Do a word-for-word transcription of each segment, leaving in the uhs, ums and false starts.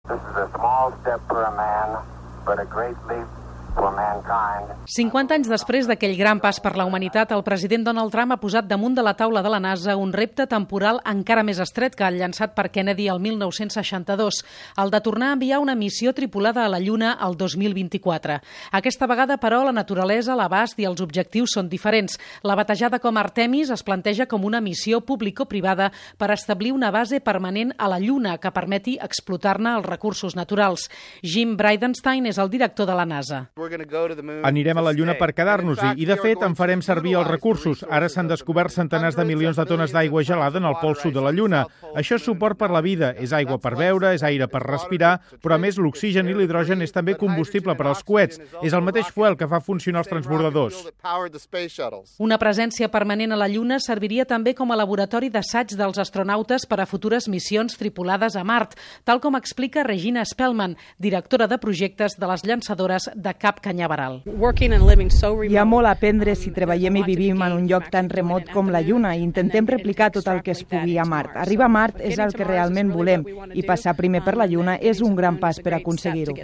This is a small step for a man, but a great leap for mankind. cinquanta anys després d'aquell gran pas per la humanitat, el president Donald Trump ha posat damunt de la taula de la NASA un repte temporal encara més estret que el llançat per Kennedy el mil nou-cents seixanta-dos, el de tornar a enviar una missió tripulada a la Lluna el dos mil vint-i-quatre. Aquesta vegada, però, la naturalesa, l'abast i els objectius són diferents. La batejada com Artemis es planteja com una missió público-privada per establir una base permanent a la Lluna que permeti explotar-ne els recursos naturals. Jim Bridenstine és el director de la NASA. Anirem a la Lluna per quedar-nos-hi i, de fet, en farem servir els recursos. Ara s'han descobert centenars de milions de tones d'aigua gelada en el pol sud de la Lluna. Això és suport per la vida, és aigua per beure, és aire per respirar, però a més l'oxigen i l'hidrogen és també combustible per als coets. És el mateix fuel que fa funcionar els transbordadors. Una presència permanent a la Lluna serviria també com a laboratori d'assaig dels astronautes per a futures missions tripulades a Mart, tal com explica Regina Spellman, directora de projectes de les llançadores de Cap Canyaveral. Hi ha molt a aprendre si treballem i vivim en un lloc tan remot com la Lluna i intentem replicar tot el que es pugui a Mart. Arribar a Mart és el que realment volem i passar primer per la Lluna és un gran pas per aconseguir-ho.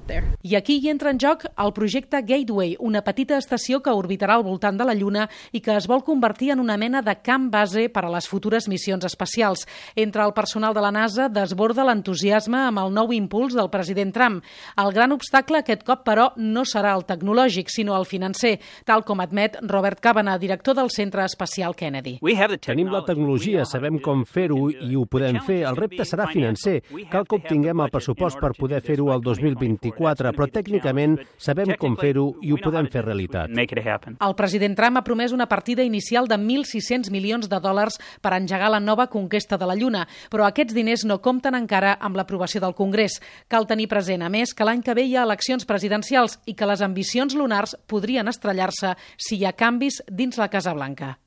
I aquí hi entra en joc el projecte Gateway, una petita estació que orbitarà al voltant de la Lluna i que es vol convertir en una mena de camp base per a les futures missions espacials. Entre el personal de la NASA desborda l'entusiasme amb el nou impuls del president Trump. El gran obstacle aquest cop, però, no serà el tecnològic, sinó el financer, tal com admet Robert Cavanagh, director del Centre Espacial Kennedy. Tenim la tecnologia, sabem com fer-ho i ho podem fer. El repte serà financer. Cal que obtinguem el pressupost per poder fer-ho el dos mil vint-i-quatre, però tècnicament sabem com fer-ho i ho podem fer realitat. El president Trump ha promès una partida inicial de mil sis-cents milions de dòlars per engegar la nova conquesta de la Lluna, però aquests diners no compten encara amb l'aprovació del Congrés. Cal tenir present, a més, que l'any que ve hi ha eleccions presidencials i que les ambicions lunars podrien estrellar-se si hi ha canvis dins la Casa Blanca.